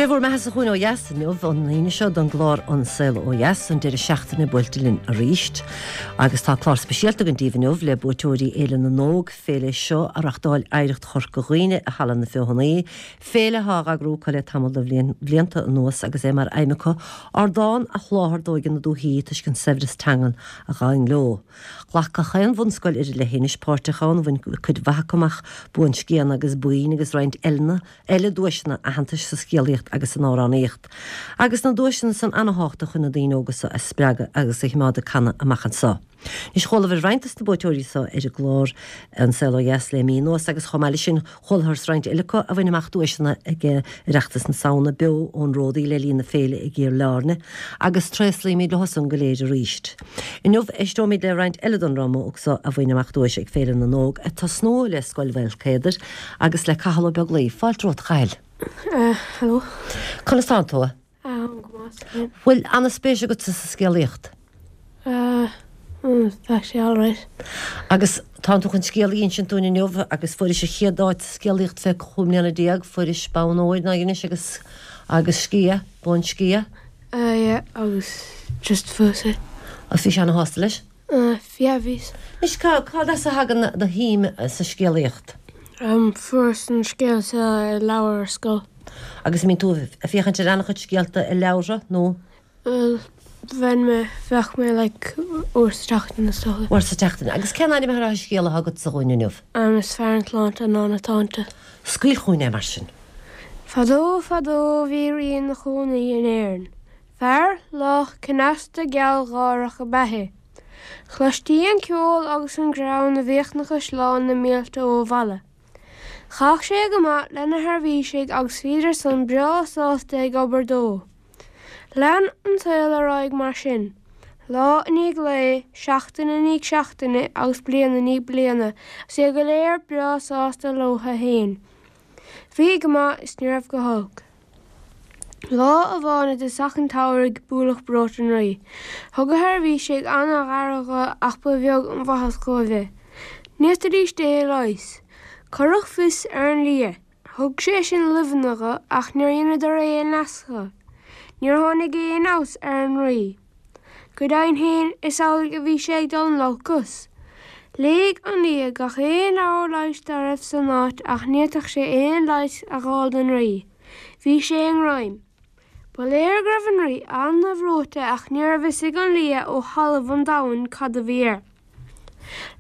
Dé bhur mbeathasa chugainn ó dheas inniu, an Aoine seo, don gclár An Saol Ó Dheas, an deireadh seachtaine buailte linn arís. Agus tá clár speisialta againn daoibh inniu le buaiteoirí Fhéile na nÓg, féile seo a reachtáil Oidhreacht Chorca Dhuibhne i Halla na Feothanaí, féile atá á eagrú acu le tamall de bhlianta anuas agus é mar aidhm acu ardán a sholáthar d'óige na dúichí toisc an saibhreas teangan a ghabhann leo. Ghlac gach aon bhunscoil ar an leithinis páirt ann, bhain cuid mhaith acu amach buanscian agus boinn agus roinnt eile eile duaiseanna aitheantais sa scéalaíocht agus san amhránaíocht. Agus na duaiseanna san ana-thábhachtach chun na daoine óga so a spreagadh agus a chimeád ag canadh amach anso. Anois chualabhair roinnt dos na buaiteoirí so ar an gclár An Saol Ó Dheas le mí anuas agus chomh maith leis sin chualathas roinnt eile acu a bhain amach duaiseanna ag Oireachtas na Samhna beo ón Ródaí le linn na féile i gCill Airne agus tréaslaímid leo san go léir arís. Inniu éisteoimid le roinnt eile den dream óg so a bhain amach duais ag Féile na nÓg ag tosnú le Scoil Mhaolcéadair agus le Cathal Ó Beaglaoi. Fáilte romhat a Chathail. Hello. Conas tánn tú? Táim go maith, thank you. Bhfuil ana-spéis agatsa sa scéalaíocht? Tá sé alright. Agus tánn tú chun scéal a insint dúinn inniu agus fuairis an chéad áit sa scéalaíocht fé 15 mbliana, fuairis bonn óir ná dheinis agus agus sciath, bonn sciath. Yeah, agus just fuaireas é. Agus bhís ana-shásta leis? Yeah, bhíos. Anois cá, cad as a thagann do shuim sa scéalaíocht? Fuaireas an scéal seo i leabhar ar scoil. Agus an mbíonn tú ag féachaint ar an-chuid scéalta i leabhartha, nó? Bhuel, bheinn mé, bheadh mé like uair sa tseachtain is dócha. Uair sa tseachtain. Agus cén ainm atá ar an scéal atá agatsa dhúinn inniu? Is fearr an tsláinte ná na táinte. Scaoil chugainn é mar sin. Fadó fadó bhí rí ina chónaí in Éirinn. Fear lách cneasta gealgháireach ab ea é. Chloistí an ceol agus an greann a bhíodh na caisleáin na mílte ó bhaile. Chaith sé go maith lena sheirbhísigh agus bhíodar san breá sásta ag obair dó. Lean an saol ar aghaidh mar sin, lá i ndiaidh lae, seachtain i ndiaidh seachtaine agus bliain i ndiaidh bliana agus iad go léir breá sásta leotha fhéin. Bhí go maith is ní raibh go holc. Lá amháin i dtosach an tsamhraidh buaileadh breoite an rí. Thug a sheirbhísigh an-aire dho ach ba bheag an mhaitheas dhóibh é. Ní fhéadfaidís é a leigheas. Cuireadh fios ar an lia. Thug sé sin luibheanna dho ach níor dheineadar aon leas dho. Níor tháinig aon fheabhas ar an rí. Go deimhin féin is amhlaidh a bhí sé ag dul in olcas. Léigh an lia gach aon leabhar leighis dá raibh san áit ach ní fhéadfadh sé aon leigheas a dh'fháil don rí. Bhí sé i ngreim. Ba léir go raibh an rí ana-bhreoite ach ní raibh fhios ag an lia ó thalamh an domhain cad a bhí air.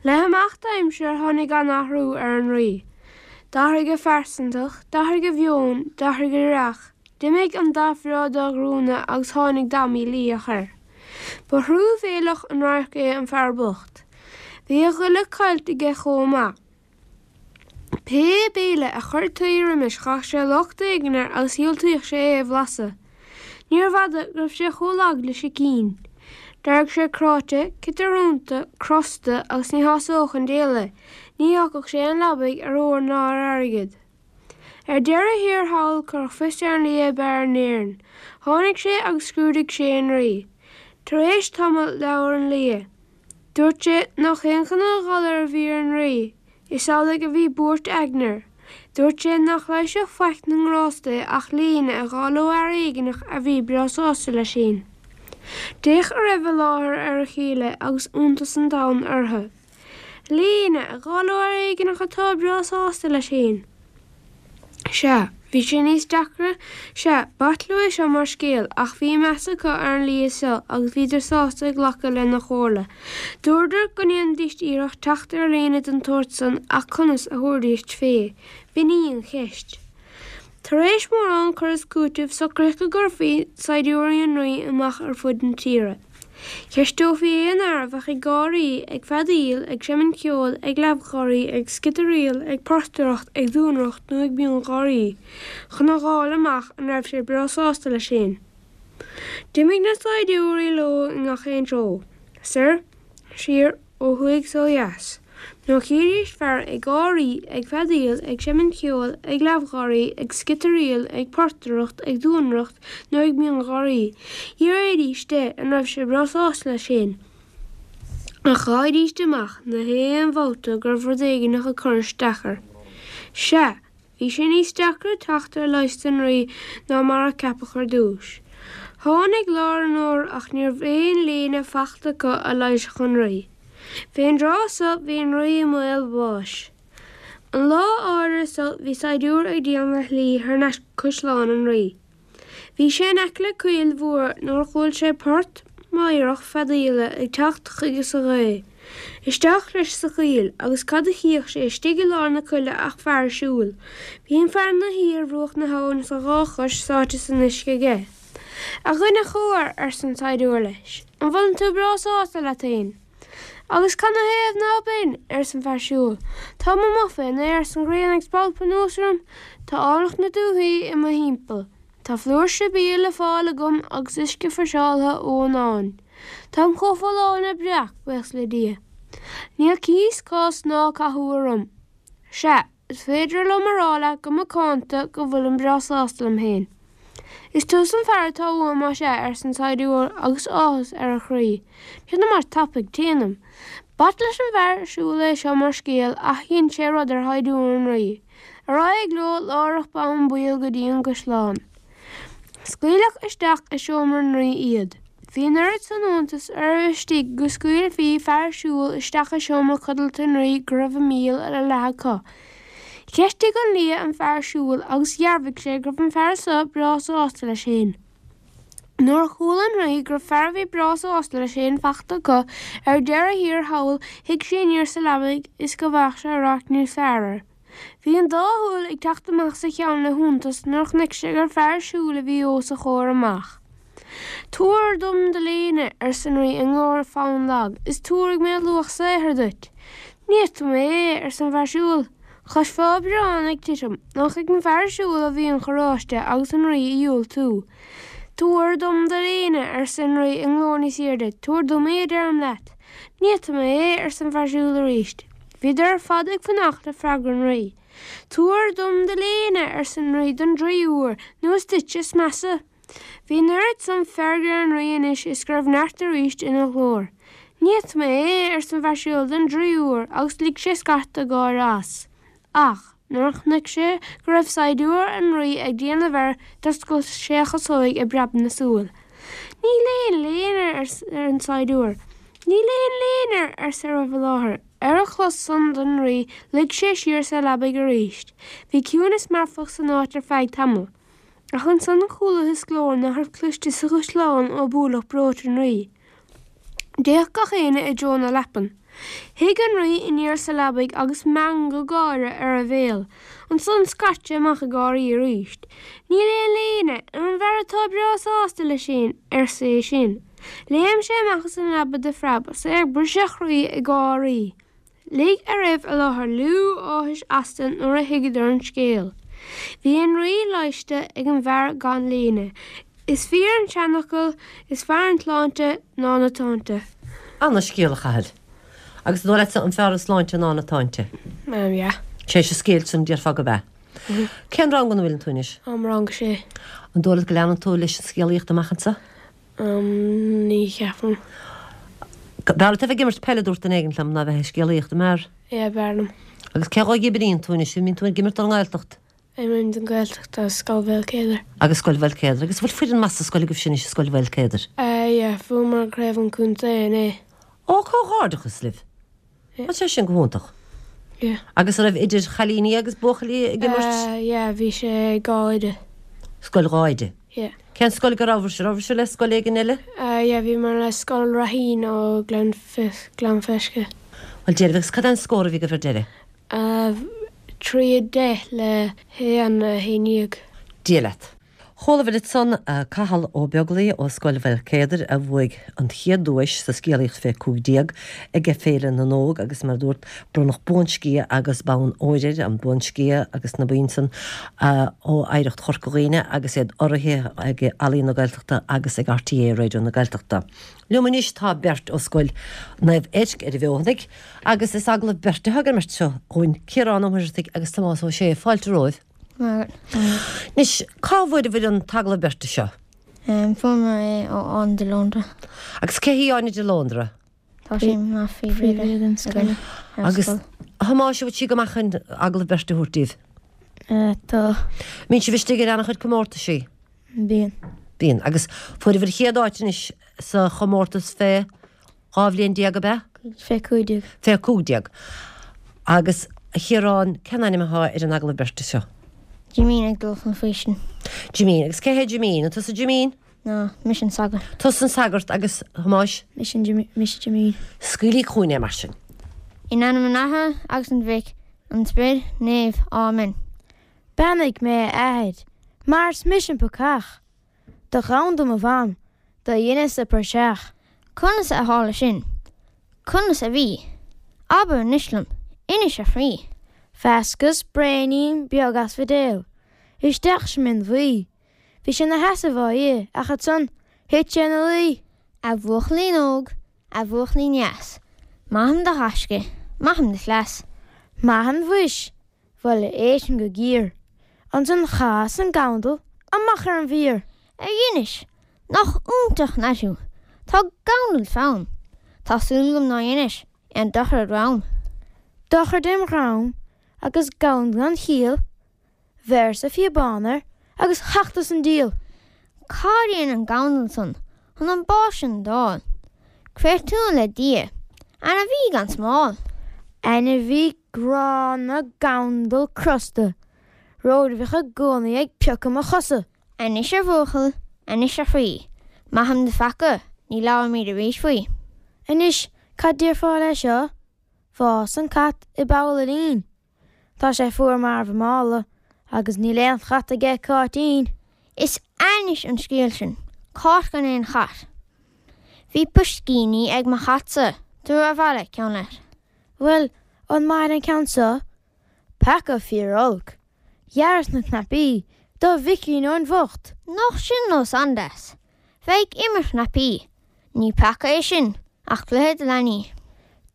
Le himeacht aimsire tháinig an-athrú ar an rí. D'athraigh a phearsantacht, d'athraigh a mheon, d'athraigh a dhreach, d'imigh an dath bhreá dá ghruanna agus tháinig dath mílítheach air. Ba thruamhéileach an radharc é an fear bocht. Bhí a ghoile caillte aige chomh maith. Pé béile a chuirtí roimis chuirfeadh sé locht éigin air agus dhiúltaíodh sé é a bhlaiseadh. Níorbh fhada go raibh sé chomh lag le sicín. D'éirigh sé cráite, ciotarúnta, crosta agus ní shásódh an diabhal é, ní fhágfadh sé an leabaidh ar ór ná ar airgead. Ar deireadh thiar thall cuireadh fios ar an lia ab fhearr in Éirinn. Tháinig sé agus scrúdaigh sé an rí. Tar éis tamaill labhair an lia. Dúirt sé nach aon chineál galair a bhí ar an rí, is amhlaidh a bhí buairt aigne air. Dúirt sé nach leigheasfadh faic na ngrást é ach léine a dh'fháil ó fhear éigineach a bhí breá sásta leis fhéin. D'fhéach a raibh i láthair ar a chéile agus iontas an domhain orthu. Léine a dh'fháil ó fhear éigineach atá breá sásta leis fhéin. Sea, bhí sé níos deacra, sea, b'ait leo é seo mar scéal, ach bhí meas acu ar an lia seo agus bhíodar sásta glacadh lena chomhairle. Dúradar go ndéanfaidís iarracht teacht ar léine den tsórt san ach conas a thabharfaidís fé, b'in í an cheist. Tar éis mórán cur is cúitimh socraíodh go gcuirfí saighdiúirí an rí amach ar fud na tíre. Cheisteofaí aon fhear a bheadh ag gáirí, ag feadaíl, ag seimint ceoil, ag leamhgháirí, ag sciotaraíl, ag portaireacht, ag duanaireacht nó ag miongháirí, chun a dh'fháil amach an raibh sé breá sásta leis fhéin. D'imigh na saighdiúirí leo i ngach aon treo, soir, siar, ó thuaidh 's ó dheas. Nuair a chídís fear ag gáirí, ag feadaíl, ag seimint ceoil, ag leamhgháirí, ag sciotaraíl, ag portaireacht, ag duanaireacht nó ag miongháirí, d'fhiafraídís de an raibh sé breá sásta leis féin. Ach dh'fhaighidís amach na haon bhabhta go raibh rud éigineach ag cur isteach air. Sea! Bhí sé níos deacra teacht ar leigheas don Rí ná mar a ceapadh ar dtúis. Tháinig lár an fhómhair ach ní raibh aon léine fachta acu a leigheasfadh an Rí. Fén dtráth so bhí an Rí i mbaol bháis. An lá áirithe so bhí saighdiúir ag déanamh a shlí thar n-ais go caisleán an Rí. Bhí sé in aice le coill mhór nuair a chuala sé port meidhreach feadaíola ag teacht chuige sa ghaoth. Isteach leis sa choill agus cad a chífeadh sé istigh i lár na coille ach fear siúil. Bhí an fear ina shuí ar bhruach na habhann is a dhá chois sáite san uisce aige. A dhuine chóir, arsa an saighdiúir leis, an bhfuileann tú breá sásta leat fhéin? Agus canathaobh ná beinn? arsa an fear siúil. Táim amuigh fén aer 's an ghrian ag spalpadh anuas orm. Tá áilleacht na dúthaí i mo thimpeall. Tá flúirse bia le fáil agam agus uisce friseáltha ón abhainn. Táim chomh folláin le breac, buíochas le Dia. Níl cíos, cás ná cathú orm. Sea, is féidir liom a rá leat go macánta go bhfuilim breá sásta liom féin. Is tusa an fear atá uaim, más ea, arsa an saighdiúir agus áthas ar a chroí. Téanam tapaidh, téanam. B'ait leis an bhfear siúil é seo mar scéal ach dhein sé rud ar shaighdiúir an rí. Ar aghaidh leo láithreach bonn baill go dtí an gcaisleán. Scaoileadh isteach i seomra an rí iad. Bhí an oiread san iontas ar a raibh istigh go scaoilfí fear siúil isteach i seomra codlata an rí go raibh a míol ar leath acu. Cheistigh an lia an fear siúil agus dhearbhaigh sé go raibh an fear so breá sásta leis féin. Nuair a chuala an rí go raibh fear a bhí breá sásta leis féin fachta acu ar deireadh thiar thall shuigh sé aniar sa leabaidh is go bhfaigheadh sé radharc níos fearr air. Bhí an dá shúil ag teacht amach as a cheann le hiontas nuair a chonaic sé gur fear siúil a bhí os a chomhair amach. Tabhair dom do léine, arsa an rí i nglór fann lag, is tabharfaidh mé luach saothair duit. Ní fhéadfaidh mé é, arsa an fear siúil. Chloisfeá biorán ag titim. Nach ag an bhfear siúil a bhí an choráiste agus an rí a dhiúltú. Tabhair dom do léine, arsa an rí i nglór níos airde, tabhair dom í, a deirim leat. Ní fhéadfaidh mé é, arsa an fear siúil arís. Bhíodar ar fad ag fanacht le freagra an rí. Tabhair dom do léine, arsa an rí don dtríú huair, nó is duitse is measa. Bhí an oiread san feirge ar an rí anois is go raibh neart arís ina ghlór. Ní fhéadfaidh mé é, arsa an fear siúil don dtríú huair agus lig sé scarta gáire as. Ach, nuair a chonaic sé go raibh saighdiúir an rí ag déanamh air d'oscail sé a chasóig ag preabadh na súl. Níl aon léine air, arsa an saighdiúir. Níl aon léine air, arsa a raibh i láthair. Ar a chlos san don rí, luigh sé siar sa leabaidh arís. Bhí ciúnas marfach san áit ar feadh tamaill. Ach ansan chualathas glór nach raibh cloiste sa chaisleán ó buaileadh breoite an rí. D'fhéach gach éinne i dtreo na leapan. Shuigh an rí aniar sa leabaidh agus meangadh gáire ar a bhéal. Ansan scairt sé amach ag gáirí arís. Níl aon léine ar an bhfear atá breá sásta leis fhéin, arsa é sin. Léim sé amach as an leaba de phreab is é ag briseadh a chroí ag gáirí. Lig a raibh i láthair liú áthais astu nuair a thuigeadar an scéal. Bhí an rí leighiste ag an bhfear gan léine. Is fíor an seanfhocal, is fearr an tsláinte ná na táinte. Ana scéal a Chathail. Agus an dóigh leatsa an fearr an sláinte ná na táinte? Um yeah. Tar éis an scéil sin déarfá gurb ea. Cén rang ina bhfuileann tú anois? Um rang a sé. An dóigh leat go leanann tú leis an scéalaíocht amach anseo? Um ní cheapaim. B'fhearr leat a bheith ag imirt peile, dúirt duine éigin liom, ná bheith ag scéalaíocht, an mb'fhearr? Yeah, b'fhearr liom. Agus cé dhóibh a imríonn tú anois? An mbíonn tú ag imirt don nGaeltacht? Imrím don Ghaeltacht agus Scoil Mhaoilchéadair. Agus Scoil Mhaoilchéadair. Agus an bhfuil foireann maith sa scoil agaibhse anois, Scoil Mhaoilchéadair? Eh yeah, bhuamar craobh an chontae inné. Ó, comhghairdeachas libh! Tá sé sin go hiontach. Yeah. Agus an raibh idir chailíní agus buachaillí ag imirt? Eh yeah, bhí sé dhá oide. Scoil dhá oide? Yeah. Cén scoil go rabhabhair? Rabhabhair le scoil éigin eile? Eh yeah, bhíomar le Scoil Raithín ó Gleann Gleann Fleisce. Bhuel déarfaidh, agus cad é an scór a bhí agaibh ar deireadh? Eh 3 10 le 1 11. Dia leat. Chualabhair ansan Cathal Ó Beaglaoi ó Scoil Mhaoilchéadair a bhuaigh an chéad duais sa scéalaíocht fé 15 ag Féile na nÓg agus mar a dúrt bronnadh buansciath agus bonn óir air, an buansciath agus na boinn san ó Oidhreacht Chorca Dhuibhne agus iad urraithe ag Ealaín na Gaeltachta agus ag RTÉ Raidió na Gaeltachta. Liom anois tá beirt ó Scoil Naomh Eirc ar an bhFeothanaigh agus is agallamh beirte atá ag an mbeirt seo dhúinn, Ciarán Ó Muircheartaigh agus Tomás Ó Sé. Fáilte romhaibh. Anois, cá bhfuaireabhair an t-agallamh beirte seo? Fuair mé é ó Áine de Lóndra. Agus cé hí Áine de Lóndra? Tá sí mar phríomhoide againn ar Agus scoil. a Thomáis, an bhfuil sí go maith chun agallamh beirte a thabhairt daoibh? Tá. Mbíonn sibh istigh ar an-chuid comórtaisí? Bíonn. Bíonn. Agus fuaireabhair an chéad áit anois sa chomórtas fé 12 bhliain, ab ea? Fé 15. Fé 15. Agus, a Chiaráin, cén ainm atá ar an agallamh beirte seo? Jimín ag dul chun faoistin. Jimín. Agus cé hé Jimín? An tusa Jimín? Ná, mise an sagart. Tusa an sagart agus, a Thomáis? Mise an mise Jimín. Scaoiligí chugainn é mar sin. In ainm an Athar agus an Mhic, an Sprid Naoimh. Áiméan. Beannaigh mé a Athair, mar is mise an peacach. Do ghabhann do mo mham, do dheineas-sa praiseach. Conas a tharla sin? Conas a bhí? Abair anois liom, inis a chroí. Mheascas braoinín beag asfaidéil isteach sa min bhuí. Bhí sé 'na sheasamh á ithe ach ansan thit sé ina luí. A bhuachaillín óg, a bhuachaillín dheas, maithim do ghaisce, maithim do chleas. Maithim mhuis, bhuel éistim go géar. Ansan chas an gabhandal amach ar an bhfear. Ar dheinis? Nach iontach an leaid thú! Tá gabhandal fam. Tá súil agam nár dheinis aon dochar id dhrom. Dochar dem dhrom agus gabhandal gan chiall, Bheireas-sa phíobán air agus thachtadh an diabhal! Cad dhein an gabhandal san chun an bás sin d'fháil? Créatúr le Dia, ainmhí gan smál. Ainmhí gránna gabhandal crosta, rud a bhíodh i gcónaí ag piocadh mo chosa. Anois a bhuachaill, anois a chroí, maithim do pheaca, ní labhróimid arís faoi. Anois cad déarfá le seo? Fás an cat i bpoll a lín. Tá sé fuar marbh i mála agus níl aon chat aige Cáitín. Is ainnis an scéal sin, cáit gan aon chat. Bhí piscíní ag mo chatsa, tabhair abhaile ceann leat. Bhuel, an maith an ceann seo? Peaca fíor olc. Ghearras na cnaipí do Mhicín Eoin bhocht. Nach sin nós an-deas, bheith ag imirt cnaipí. Ní peaca é sin, ach cluiche do leanaí.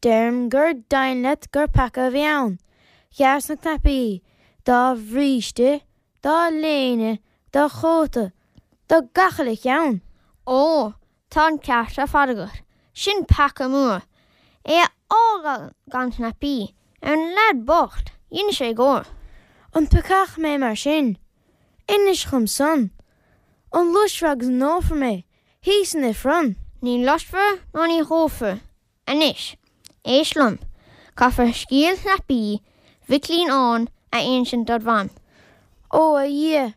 Deirim gur deimhin leat gur peaca a bhí ann. Ghearras na cnaipí dá bhríste, dá léine, dá chóta, do gach uile cheann. Ó, tá an ceart ar fad agat, sin peaca mór. É a fhágáil gan cnaipí ar an leaid bocht, dhein sé gór. An peacach mé mar sin? Inis dhom san. An loiscfear agus an ndófar mé thíos san ifreann? Ní loiscfear ná ní dhófar. Anois, éist liom. Caithfear scéal chnaipí Mhicilín Eoin a insint dod mham. Ó, a Dhia,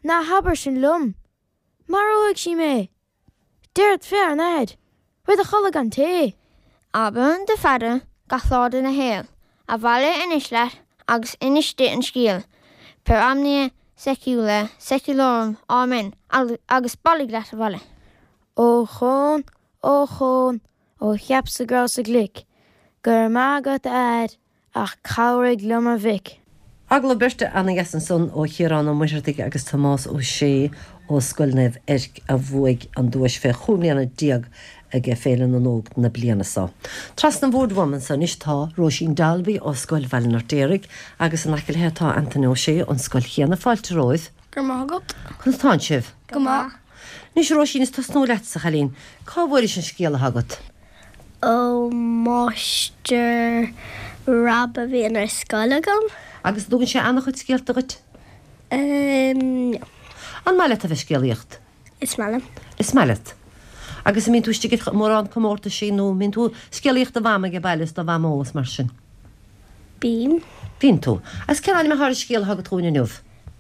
ná habair sin liom. Maróidh sí mé. Déarfad fé ár n-athair, rud a chodladh gan tae. Abair do phaidir gach lá de do shaol. Abhaile anois leat agus inis di an scéal. Per omnia saecula saeculorum, Amen. Agus bailigh leat abhaile. Ó Chón, ó Chón, ó cheapas-sa go rabhas-sa glic, go raibh maith agat a fhear Ach cabhraigh liom a mhic. Agallamh beirte ana-dheas ansan ó Chiarán Ó Muircheartaigh agus Tomás Ó Sé ó Scoil Naomh Eirc a bhuaigh an duais fé chúig mbliana déag ag Féile na nÓg na bliana seo. Trasna an bhoird uaim anso anois tá Róisín Dalby ó Scoil Bhaile an Fheirtéaraigh agus in aice léi tá Antaine Ó Sé ón scoil chéanna. Fáilte romhaibh. Go raibh maith agat. Conas tánn sibh? Go maith. Anois a Róisín is tosnú leatsa, a chailín. Cá bhfuairis an scéal atá agat? Ó Mháistir Rob a bhíonn ar scoil agam. Agus an dtugann sé an-chuid scéalta dhuit? No. An maith leat a bheith ag scéalaíocht? Is maith liom. Is maith leat. Agus an mbíonn tú istigh ar mórán comórtaisí nó an mbíonn tú ag scéalaíocht do mham age baile is do mhamó is mar sin? Bím. Bíonn tú. Agus cén ainm atá ar an scéal atá agat dhúinn inniu?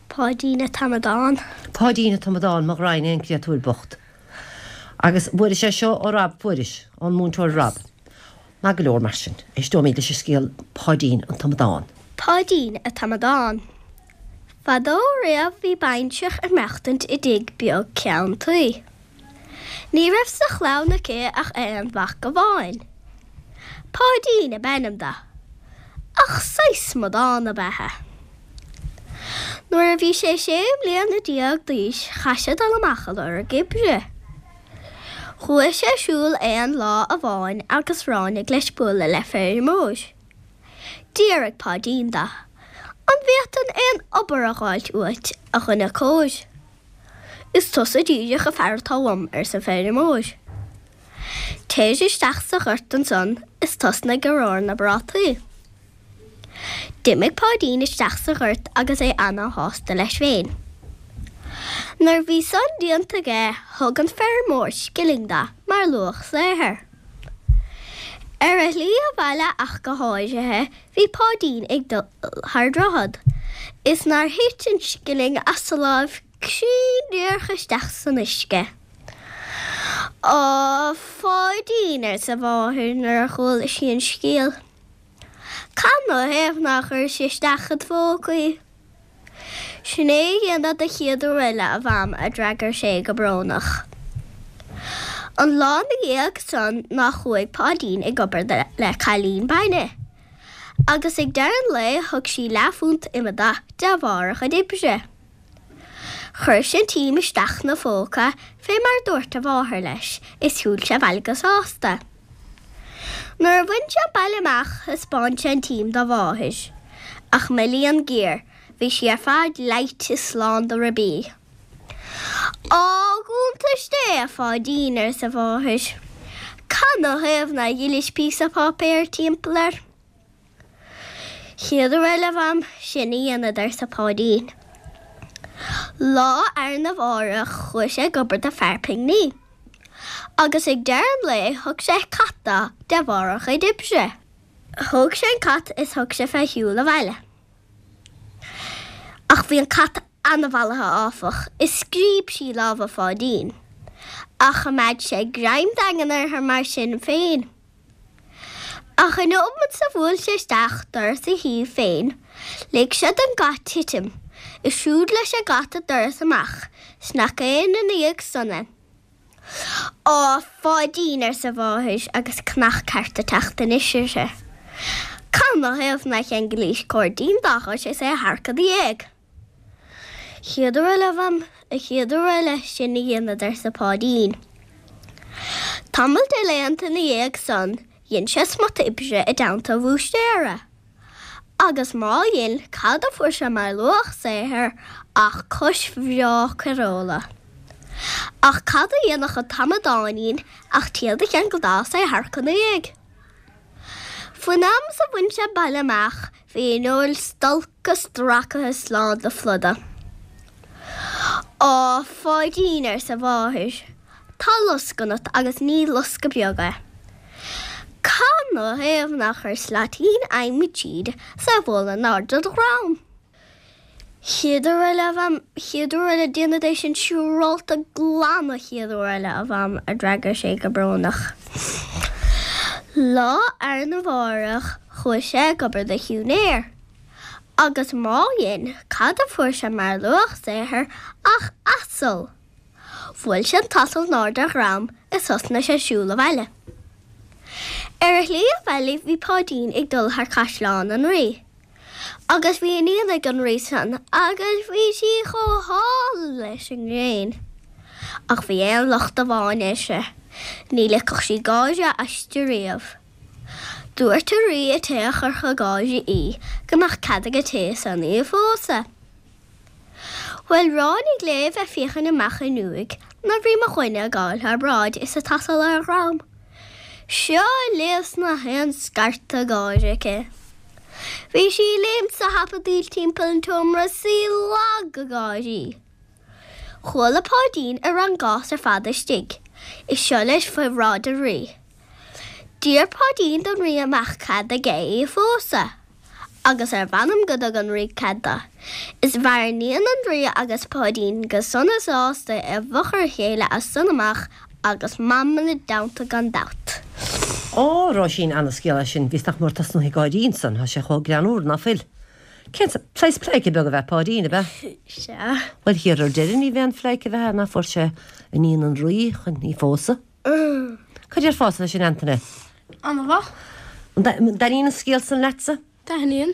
Páidín a' t-Amadán. Páidín a' t-Amadán, mo ghraidhin é an créatúr bocht. Agus bhfuairis é seo ó Rob, fuairis, ón múinteoir Rob. Maith go leor mar sin, éisteoimid leis an scéal Páidín an t-Amadán. Páidín a' t-Amadán. Fadó riamh bhí baintreach ag maireachtaint i dtigh beag ceann tuí. Ní raibh sa chlann aici ach aon mhac amháin. Páidín ab ainm do. Ach saghas amadán ab ea é. Nuair a bhí sé sé mbliana déag d'aois chaith sé dul amach a lorg oibre. Chuaigh sé ag siúl aon lá amháin agus ráinig leis bualadh le feirmeoir. D'fhiafraigh Páidín de, An bhféadfainn aon obair a dh'fháilt uait, a dhuine cóir? Is tusa díreach an fear atá uaim, arsa an feirmeoir. Téir isteach sa ghort ansan is tosnaigh ag romhar na bprátaí. D'imigh Páidín isteach sa ghort agus é ana-shásta leis féin. Nuair bhí san déanta aige thug an feirmeoir scilling dó mar luach saothair. Ar a shlí abhaile ach go háirithe bhí Páidín ag dul thar droichead is nár thit an scilling as a láimh cruinn díreach isteach san uisce. Á, a Pháidín, arsa a mháthair nuair a chuala sí an scéal, cad 'na thaobh nár chuiris isteach id phóca í? Sin é a dhéanfad an chéad uair eile, a Mham, a d'fhreagair sé go brónach. An lá 'na dhiaidh san ná chuaigh Páidín ag obair le cailín bainne, agus ag deireadh an lae thug sí leathphunt ime dó de bharr a chuid oibre. Chuir sé an t-im isteach 'na phóca fé mar dúirt a mháthair leis is shiúil sé abhaile go sásta. Nuair a bhain sé an baile amach thaispeáin sé an t-im dá mháthair. Ach mo léan géar, bhí sí ar fad leáite is lán de ribí. Á, iontas Dé, a Pháidín, arsa a mháthair. Cad 'na thaobh nár dhillis píosa páipéir timpeall air? Chéad uair eile, a Mham, sin a dhéanfad, arsa Páidín. Lá arna mhárach chuaigh sé ag obair do fear pingní. Agus ag deireadh an lae thug sé cat dó de bharr a chuid oibre. Thóg sé an cat is thug sé fé shiúl abhaile. Ach bhí an cat ana-mhallaithe áfach, is scríob sí lámha Pháidín. Ach choimeád sé greim daingean uirthi mar sin féin. Ach an nóimeat 's a bhuail sé isteach doras a thí féin, lig sé don gcat titim, is siúd leis an gcat an doras amach, 's nach aon ina dhiaidh san é. Á, a Pháidín, arsa a mháthair, agus cnach ceart ag teacht anois uirthi. Cad 'na thaobh nár cheanglais cairdín dá chois is é a tharrac i do dhiaidh? Chéad uair eile, a Mham, an chéad uair eile, sin a dhéanfad, arsa Páidín. Tamall de laethanta ina dhiaidh san, dhein sé smut oibre i dteannta an bhúistéara. Agus má dhein, cad a fuair sé mar luach saothair ach cois bhreá caoireola. Ach cad a dhéanfadh an t-amadáinín ach téad a cheangal dó is é a tharrac ina dhiaidh. Faoin am is a bhain sé baile amach bhí an fheoil stolctha stracaithe is lán de phluda. Á, a Pháidín, arsa a mháthair, tá losc ionat agus ní loscadh beag é. Cad 'na thaobh nár chuir slaitín adhmaid tríd 's é a bhualadh in airde do dhrom? Chéad uair eile, a Mham, chéad uair eile, déanfad é sin siúrálta glan an chéad uair eile, a Mham, a d'fhreagair sé go brónach. Lá arna mhárach chuaigh sé ag obair do shiúinéir. Agus má dhein, cad a fuair sé mar luach saothair ach asal! Bhuail sé an t-asal in airde a dhrom is thosnaigh sé ag siúl abhaile. Ar a shlí abhaile bhí Páidín ag dul thar caisleán an Rí. Agus bhí iníon ag an rí san agus bhí sí chomh hálainn leis an ngréin. Ach bhí aon locht amháin uirthi, ní ligfeadh sí gáire aisti riamh. Dúirt an rí an té a chuirfeadh ag gáire í go mbeadh cead ag an té san í a phósadh. Bhuel, ráinig léi bheith féachaint amach an fhuinneoig nuair bhí mo dhuine ag gabháil thar bráid is an t-asal ar a dhrom. Seo libh 's nach aon scairteadh gáire aici. Bhí sí ag léimt 's ag hapadaíl timpeall an tseomra 's í lag ag gáirí. Chuala Páidín a raibh an gás ar fad istigh, is seo leis faoi bhráid an rí. D'iarr Páidín don rí an mbeadh cead aige í a phósadh. Agus ar mh'anam go dtug an rí cead dó. Is mhair iníon an rí agus Páidín go sona sásta i bhfochair a chéile as san amach agus Mam ina dteannta gan dabht. Á, Róisín, ana-scéal é sin, bhíos nach mór tosnú ag gáirí ansan, tá sé chomh greannmhar, ná fuil? Cén saghas pleidhce beag ab ea Páidín, ab ea? Sea. Bhuel, thiar ar deireadh ní b'aon phleidhce a bheith ná fuair sé iníon an rí chun í phósadh. Cad déarfása leis sin, Antaine? Ana-mhaith. An dtaitníonn an scéal san leatsa? Taitníonn.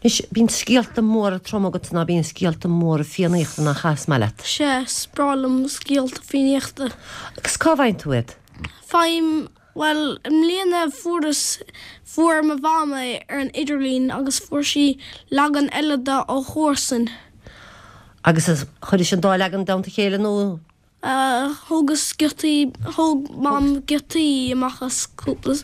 Anois, bíonn scéalta móra troma agatsa ná bíonn scéalta móra Fiannaíochta nach ea, is maith leat? Sea, is breá liom scéalta Fiannaíochta. Agus cá bhfaigheann tú iad? Faighim, bhuel, i mbliana fuaireas, fuair mo mham é ar an idirlíon agus fuair sí leagan eile de ó chomharsan. Agus chuiris an dá leagan i dteannta a chéile nó? Thógas giotaí, thóg Mam giotaí amach as cúpla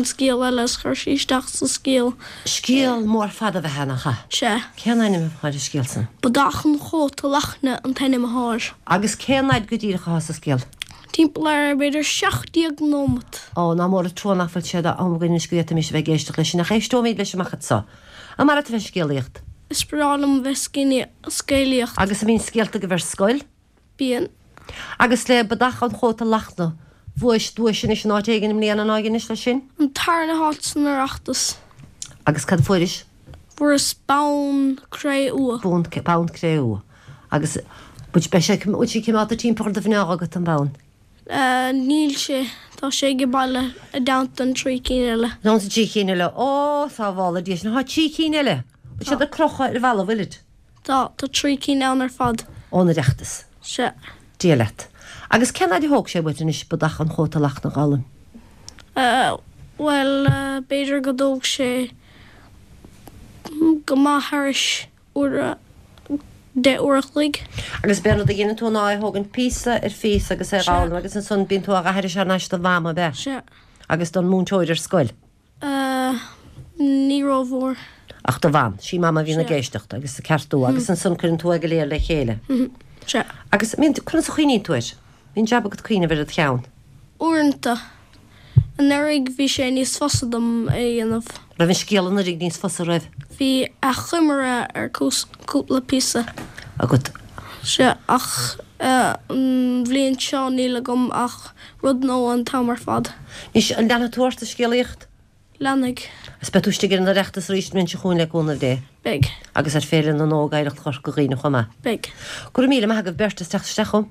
scéal eile is chuir sí isteach sa scéal. Scéal mór fada a bheith ann, nach ea? Sea. Cén ainm atá ar an scéal san? Bodach an Chóta Lachtna an t-ainm atá air. Agus cén fhaid go díreach atá sa scéal? Timpeall ar, b'fhéidir, 17 nóimeat. Ó, nach mór an trua nach bhfuil sé d'am againn anois go bhféadfaimis a bheith ag éisteacht leis sin, ach éisteoimid leis amach anso. An maith leat a bheith ag scéalaíocht? Is breá liom a bheith ag scéalaíocht. Agus an mbíonn scéalta agaibh ar scoil? Bíonn. Agus le Bodach an Chóta Lachtna, bhuais duais anois in áit éigin i mbliana ná anois leis sin? An tarna háit san Oireachtas. Agus cad a fuairis? Fuaireas bonn cré-umha. Bonn, bonn cré-umha. Agus beidh sé, bhfuil sé cimeádta timpeall ar do mhná agat, an bonn? Níl sé, tá sé age baile i dteannta an trí cinn eile. I dteannta trí cinn eile. Ó, sábhála Dia sinn, tá trí cinn eile! Bhfuil siad ar crochadh ar an bhalla, bhfuilid? Tá, tá trí cinn ann ar fad. Ón Oireachtas. Sea. Dia leat. Agus cén fhaid a thóg sé uait anois Bodach an Chóta Lachtna a dh'fhoghlaim? Bhuel, b'fhéidir go dtóg sé go maith thairis uair, deich uair a chloig. Agus b'é an rud a dheineann tú ná é thógaint píosa ar phíosa agus é dh'fhoghlaim agus ansan bíonn tú á dh'aithris thar n-ais do mham, ab ea? Sea. Agus don múinteoir ar scoil. Ní rómhór. Ach do mham. Sí mama a bhíonn ag éisteacht agus ag ceartú agus ansan cuireann tú é go léir le chéile. Sea. Agus mbíonn, conas a chuimhníonn tú air? Bíonn jab agat cuimhneamh ar id cheann. Uaireanta. Anuraidh bhí sé níos fusa dom é a dhéanamh. Raibh an scéal anuraidh níos fusa, raibh? Bhí achoimre ar cúpla píosa. Agat. Sea, ach an bhliain seo níl agam ach rud nua an t-am ar fad. Anois, an leanfaidh tú ort ag scéalaíocht? Leanfaidh. Agus beidh tú istigh ar an Oireachtas arís an bhliain seo chugainn le cúnamh Dé. Beidh. Agus ar Féile na nÓg Oidhreacht Chorca Dhuibhne chomh maith. Beidh. Go raibh míle maith agaibh beirt as teacht isteach chugam.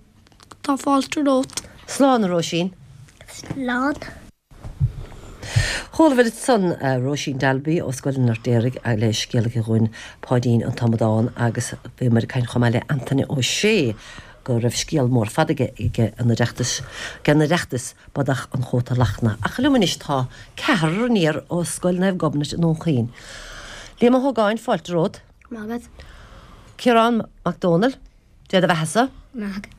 Tá fáilte romhat. Slán, a Róisín. Slán. Chualabhair ansan Róisín Dalby ó Scoil an Fheirtéaraigh le scéal aici dhúinn Páidín an tAmadán agus bhíomar ag caint chomh maith le Antaine Ó Sé go raibh scéal mór fada aige ag an Oireachtas, ag an Oireachtas, Bodach an Chóta Lachtna. Ach liom anois tá ceathrar aniar ó Scoil Naomh Gobnait i nDún Chaoin. Liam Ó hÓgáin, fáilte romhat. Maith agat. Ciarán Mac Dónaill, Dé do bheatha-sa. Maith agat.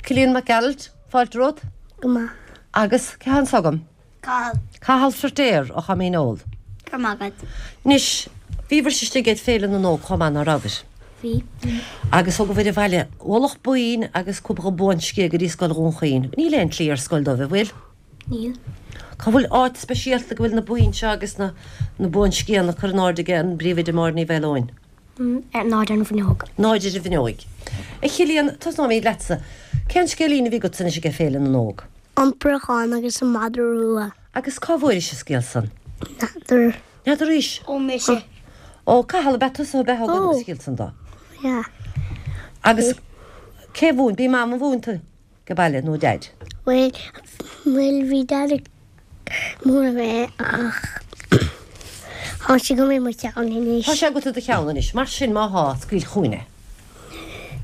Cillian Mac Gearailt, fáilte romhat. Go maith. Agus cé thá anso agam? Cathal. Cathal Feirtéar ó Choimín Óil. Go raibh maith agat. Anois, bhíobhais istigh ag Féile na nÓg chomh maith, ná rabhair? Bhí. Agus thugabhair abhaile ualach boinn agus cúpla buanscéal go dtí Scoil Dhún Chaoin. Níl aon tslí ar scoil dóibh, an bhfuil? Níl. Cá bhfuil áit speisialta go bhfuil na boinn seo agus na na buanscéalna curtha in airde ag an bpríomhoide Máire Ní Mhaoileoin? Ar náid ar an bhfuinneog. Náid ar an bhfuinneoig. A Chillian, tosnóimid leatsa. Cén scéilín a bhí agatsa anois ag Féile na nÓg? An Préachán agus an Madra Rua. Agus cá bhfuairis an scéal san? N'fheadar. N'fheadar arís? Ó mise. Ó, Cathal, ab ea tusa ab ea a thug an scéal san dó? Yeah. Agus cé mhúin, b'í Mam a mhúin tú ag baile nó Deaid? Bhuel, bhuel bhí Daid ag múineadh mé ach tá sé agam i mo cheann anois. Tá sé agat i do cheann anois, mar sin má thá, scaoil chugainn é.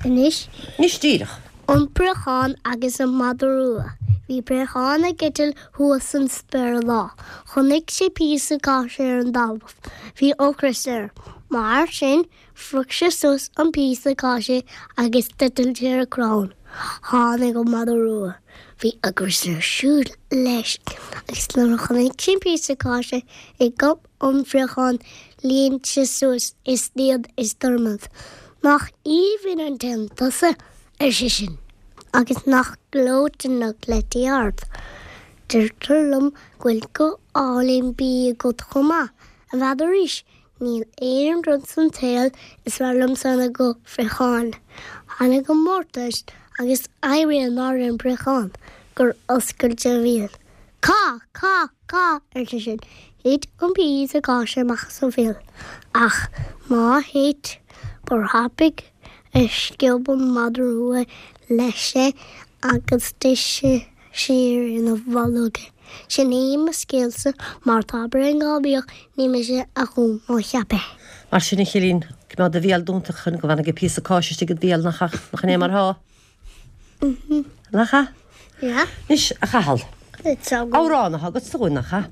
Anois? Anois díreach. An Préachán agus an Madra Rua. Bhí préachán ag eitilt thuas san spéir lá. Chonaic sé píosa cáise ar an dtalamh. Bhí ocras air. Mar sin, phrioc sé suas an píosa cáise agus d'eitil sé ar crann. Tháinig an madra rua. Bhí ocras air siúd leis agus nuair a chonaic sé an píosa cáise i gob an phréacháin líon sé suas is líon is dornad. Nach aoibhinn an t-éan tusa, ar seisean, agus nach gleoite na cleití ard. Deirtear liom go bhfuil guth álainn binn agat chomh maith, an bhfeadaraís? Níl aon rud san tsaol is fearr liomsa ná guth phréacháin. Tháinig an mórtas agus éirí an náire ar an bpréachán gur oscail sé a bhéal. Cá! Cá! Cá! ar seisean. Thit an píosa cáise amach as a bhéal. Ach má thit, ba thapaidh a sciob an madra rua leis é agus d'ith sé siar ina bholg é. Sin é mo scéalsa, má tá braon gáibíoch, ní mise a chum ná cheap é. Mar sin, a Chillian, coimeád do bhéal dúnta chun go bhfanfaidh an píosa cáise istigh id bhéal, nach ea? Nach in é mar thá? Nach ea? Yeah. Anois, a Chathail, amhrán atá agatsa dúinn, nach ea?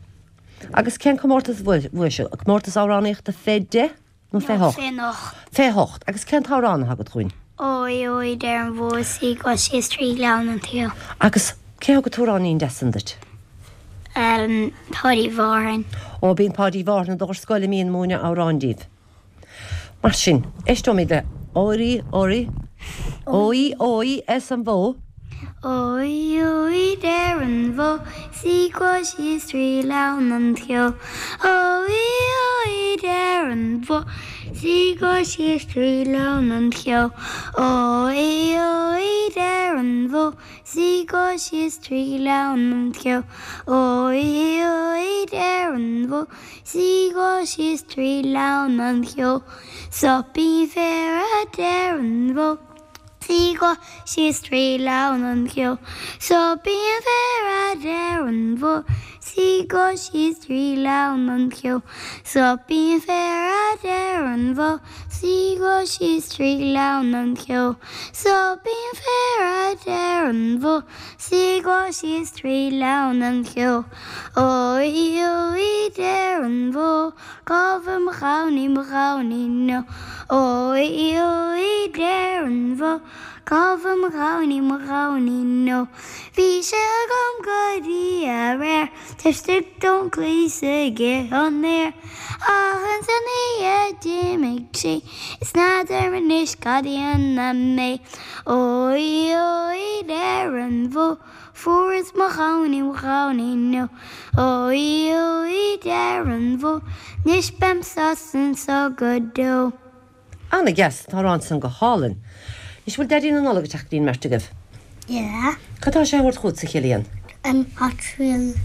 Agus cén comórtas a bhuaigh sibh? Comórtas amhránaíochta fé deich nó fé hocht? Fé hocht. Fé hocht. Agus cén t-amhrán atá agat dúinn? Ói ói deir an bhó is í ag goil síos tri ghleann an tSeo. Agus cé thug an t-amhráinín deas san duit? Páidí Mhárthain. Ó, bíonn Páidí Mhárthain i do scoil a mbíonn múineadh amhráin díbh. Mar sin, éisteoimid le Óirí Óirí Ói Ói arsa an bhó. Ói ói deir an bhó is í ag goil síos tri ghleann an tSeo. Ói ói deir an bhó is í ag goil síos tri ghleann an tSeo. Ói ói deir an bhó is í ag goil síos tri ghleann an tSeo. Ói ói deir an bhó is í ag goil síos tri ghleann an tSeo. Soipín féir a deir an bhó. 's í ag goil síos tri ghleann an cheo. Soipín féir a deir an bhó 's í ag goil síos tri ghleann an cheo. Soipín féir a deir an bhó 's í ag goil síos tri ghleann an cheo. Soipín féir a deir an bhó 's í ag goil síos tri ghleann an cheo. Ói ói deir an bhó Cá bhfuil mo ghamhnaí, mo ghamhainín ó? Ói ói deir an bhó Cá bhfuil mo ghamhnaí, mo ghamhainín ó? Bhí sé agam go dtí aréir Taobh istigh don chlaí 's ag ithe an fhéir Ach ins an oíche d'imigh sé Is n'fheadar anois cad a dhéanfaidh mé Ói ói deir an bhó Fuaireas mo ghamhainín, mo ghamhainín ó. Ói ói deir an bhó, 'nois beam sásta anso go deo. Ana dheas, an t-amhrán san go hálainn. Anois bhfuil Daidí na Nollag ag teacht go dtí an mbeirt agaibh? Yeah. Cad tá sé a thabhairt chugatsa, a Chillian? An Hot Wheel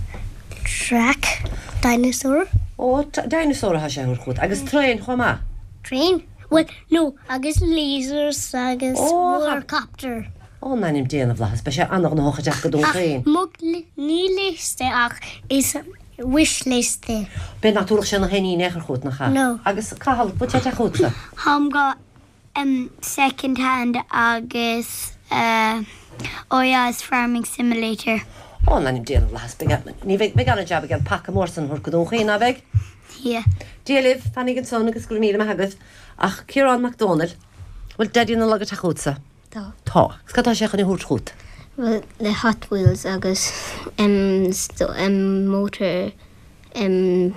track, dinosaur. Ó, dinosaur atá sé a thabhairt chugat. Agus traein chomh maith? Train? Bhuel, no, agus lasers agus warcopter. Ó, in ainm Dé na bhFlaitheas, beidh sé an-ghnóthach ag teacht go Dún Chaoin. Ach mo, ní liosta ach is wish list é. B'fhéidir nach dtabharfadh sé na héiní in aon chor chugat, nach ea? No. Agus Cathal, bhfuil sé ag teacht chugatsa? Táim go second hand agus oh yeah is farming simulator. Ó, in ainm Dé na bhFlaitheas, beidh, ní bheidh, beidh an-jab aige an paca mór san a thabhairt go Dún Chaoin, ná beidh? Yeah. Dia libh, fanaigí ansan agus go raibh míle maith agaibh. Ach Ciarán Mac Dónaill, bhfuil Daidí na Nollag ag teacht chugatsa? Tá. Tá. Agus cad tá sé chun a thabhairt chugat? Bhuel, le Hot Wheels agus em motor, em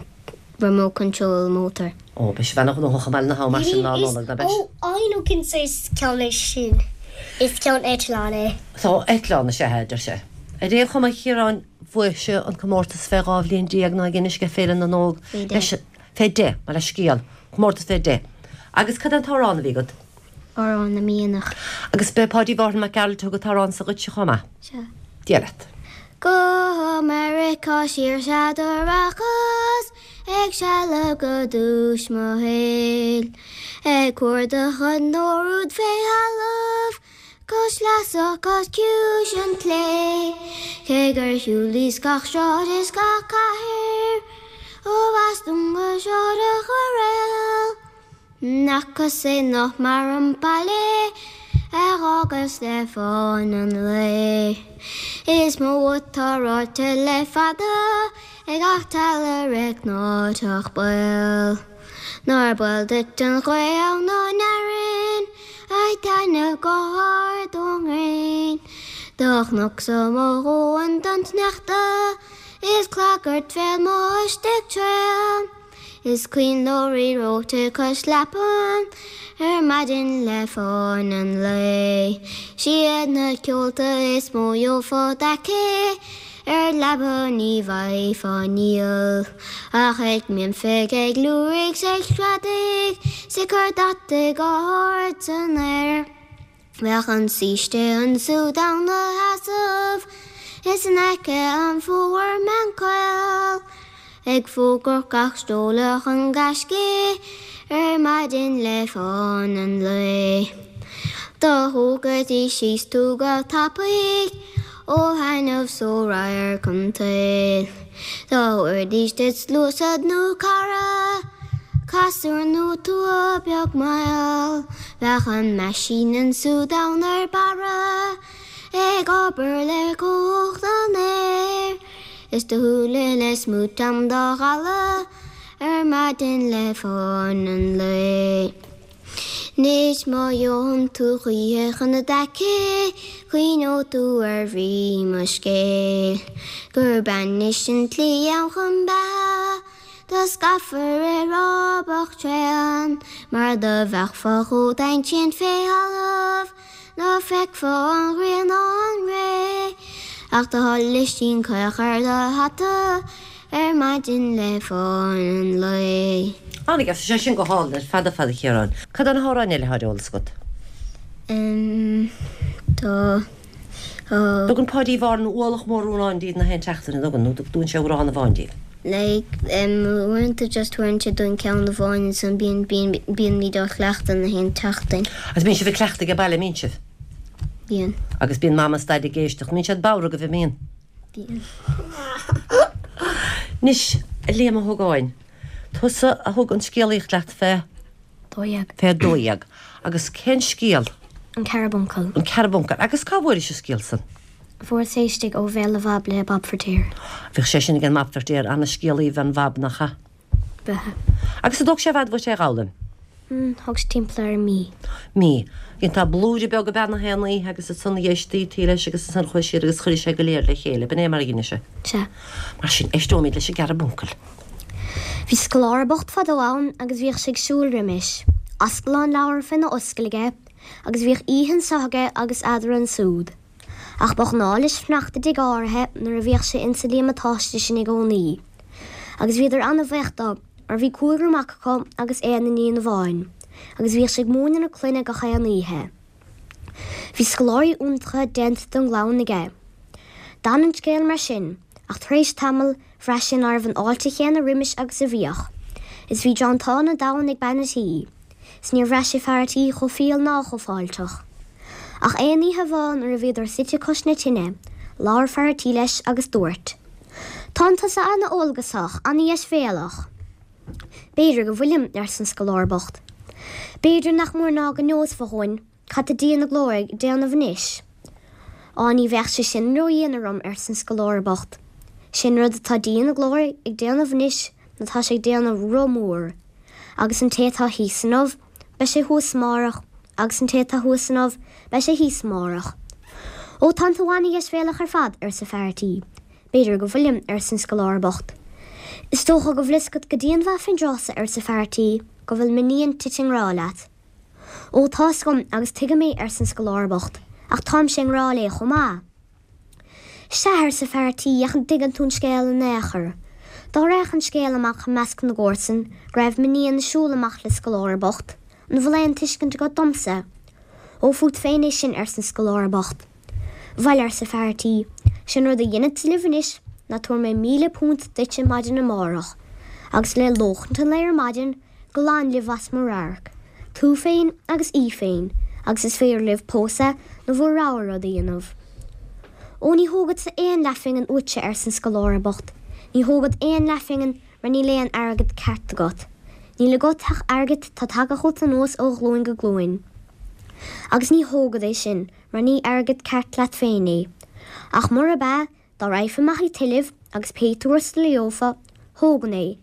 remote control motor. Ó, beidh sibh ana-ghnóthach i mBaile na hAbha mar sin Lá Nollag, ná beidh? Ó, I know cén saghas ceann é sin. Is ceann eitleán é. Tá, eitleán is ea é, a deir sé. Ar aon chuma, a Chiaráin, bhuaigh sibh an comórtas fé 12 bhliain ná ag Inis ag Féile na nÓg. Fé 10. Fé 10, mo leithscéal. Comórtas fé 10. Agus cad é an t-amhrán a bhí agat? Amhrán na Mianach. Agus b'é Páidí Mhárthain Mac Gearailt a thug an t-amhrán so dhuitse chomh maith. Sea. Dia leat. Go Meiriceá siar sea do rachas ag sealbh go dtús mo shaoil, ag cuardach an óir úd fé thalamh cois leasach cois ciumhais an tslé. Cé gur shiúlaíos gach sráid is gach cathair ó Bhostún go Sráid an Choiréil. N'fhacas aon áith mar an baile a dh'fhágas le fána an lae. Is mó atá ráite le fada ag gach teallaire cnáimhseach baoth. Nár baol duit an ghaoth ann ón fhearann ag taitneamh go hard ón ngréin. Do chonacsa mo dhóthain don tsneachta is clagairt bhéal m'istigh tréan. Is coinnleoirí reoite cois leapan ar maidin le fána an lae. 'Siad na ceolta is mó gheofá d'aice ar leaba ní bhfaighfeá níl ach ag mimfigh ag liúirigh 's ag screadaigh 's ag cur deataigh go hard san aer. Bheadh an saoiste ansúd ann 'na sheasamh is in aice an fómhar meán caol ag fógairt gach seoladh an ghaiscidh ar maidin le fána an lae. Do thógaidís síos tú go tapaidh ó thaitneamh 's ó radharc an tsaoil. Dá dtabharfaidís duit sluasaid nó cara, casúr nó tua beag mall, bheadh an meaisín ansúd ann ar barra ag obair le cumhacht an aeir is do shúile le smúit am dá dhalladh ar maidin le fána an lae. Anois má gheobhann tú choíche chun na d'aice, cuimhneoidh tú ar bhrí mo scéil. Gurb ainnis an tslí ann chun beatha, Do scaipfear ar rábach tréan, Mar do bheadh fá chomh domhain sin fé thalamh, Ná feicfeá an ghrian ná an ré, Ach do sholaistín caoch ar do hata Ar maidin le fáin an lae. Ana-dheas, tá sé sin go hálainn ar fad ar fad a Chiaráin. Cad é na hamhráin eile atá ar eolas agat? Em, tá, tá. Tugann Páidí Mhárthain ualach mór amhrán daoibh na haon tseachtain, an dtugann, nó tugann sé amhrán amháin daoibh? Like, em, uaireanta just tabharann sé dúinn ceann amháin ansan bíonn, bíonn, bíonn muid á chleachtadh na haon tseachtain. Agus bíonn sibh ag cleachtadh age baile, mbíonn sibh? Bíonn. Agus bíonn Mama is Daid ag éisteacht, mbíonn siad bodhar agaibh, an mbíonn? Bíonn. Anois, a Liam Ó hÓgáin, tusa a thug an scéalaíocht leat fé. 12. Fé 12. Agus cén scéal? An Cearbuncal. An Cearbuncal. Agus cá bhfuairis an scéal san? Fuaireas é istigh ó bhéal a Bhab le Bob Feirtéar. Bhíodh sé sin ag an mBab Feirtéar, ana-scéalaí ab ea an Bhab, nach ea? B'ea. Agus an dtóg sé i bhfad uait é a dh'fhoghlaim? Thóg sé timpeall ar mí. Mí. Dhéantá blúire beag ab ea na haon oíche agus ansan dh'éistí leis agus ansan chuaigh siad agus chuireadh sé go léir le chéile. B'in é mar a dheineadh sé. Sea. Mar sin, éisteoimid leis an gCearbuncal. Bhí scoláire bocht fadó ann agus bhíodh sé ag siúl roimis, ascalán leabhar féna ascaill aige, agus bhíodh oíche anso aige agus eadra ansúd. Ach ba ghnáth leis fanacht i dtigh áirithe nuair a bhíodh sé insa líomatáiste sin i gcónaí. Agus bhíodar ana-bhaoch dó, mar bhí cúigear mac acu agus aon iníon amháin, agus bhíodh sé ag múineadh na clainne gach aon oíche. Bhí scoláirí iontacha déanta den gclann aige. D'fhan an scéal mar sin, ach tar éis tamaill, bhraith sé ná raibh an fháilte chéanna roimis agus a bhíodh. Is bhí drantán an domhain ag bean a' tí. Is níor bhraith sé fear a' tí chomh fial ná chomh fáilteach. Ach aon oíche amháin nuair a bhíodar suite cois na tine, labhair fear a' tí leis agus dúirt, Tánn tusa ana-eolgasach, ana-dheisbhéalach. B'fhéidir go bhfuilim, arsa an scoláire bocht. B'fhéidir nach mór ná go neosfá dhúinn cad tá Dia na Glóire ag déanamh anois. Á, ní bheadh sé sin ró-dhian orm, arsa an scoláire bocht. Sé an rud atá Dia na Glóire ag déanamh anois ná tá sé ag déanamh roth mór, agus an té atá thíos inniu, beidh sé thuas amárach, agus an té atá thuas inniu, beidh sé thíos amárach. Ó, tánn tú ana-dheisbhéalach ar fad, arsa fear a' tí. B'fhéidir go bhfuilim, arsa an scoláire bocht. Is dócha go bhfuil fhios agat go dianmhaith fén dtráth so, arsa fear a' tí, go bhfuil m'iníon tite i ngrá leat. Ó, tá fhios agam agus tuigim é, arsa an scoláire bocht, ach táimse i ngrá léi chomh maith. Sea, arsa fear a' tí, ach an dtuigeann tú an scéal in aon chor? Dá raghadh an scéal amach i measc na gcomharsan go raibh m'iníon ag siúl amach le scoláire bocht, an bhfuil aon tuiscint agat domsa? Ó, fút féin é sin, arsa an scoláire bocht. Bhail, arsa fear a' tí, sé'n rud a dhéanfadsa libh anois ná tabharfaidh mé £1,000 duitse maidin amárach, agus le lóchaint an lae ar maidin, glan libh as mo radharc, tú féin agus í féin, agus is féidir libh pósadh nó bhur rogha rud a dhéanamh. Ó, ní thógadsa aon leathphingin uaitse, arsa an scoláire bocht, ní thógad aon leathphingin mar níl aon airgead ceart agat. Níl agat ach airgead tá tagtha chugat anuas ó ghlúin go glúin. Agus ní thógad é sin mar ní airgead ceart leat féin é. Ach murab ea, dá raghfa amach ag tuilleamh agus pé tuarastal a gheofá, thógainn é.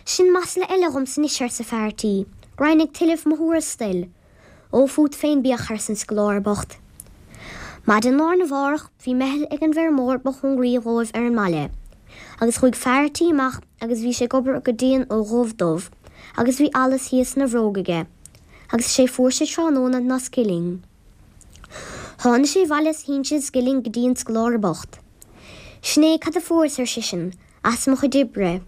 Sin masla eile dhomsa anois, arsa fear a' tí, go raghainn ag tuilleamh mo thuarastail. Ó, fút féin bíodh, arsa an scoláire bocht. Maidin lá arna mhárach bhí meitheal ag an bhfeirmeoir ba chóngaraí dhóibh ar an mbaile. Agus chuaigh fear a' tí amach agus bhí sé ag obair go dian ó dhubh dubh, agus bhí allas thíos ina bhróg aige. Agus is é fuair sé tráthnóna ná scilling. Tháinig sé abhaile is shín sé an scilling go dtí an scoláire bocht. Sin é cad a fuaireas, ar seisean, as mo chuid oibre.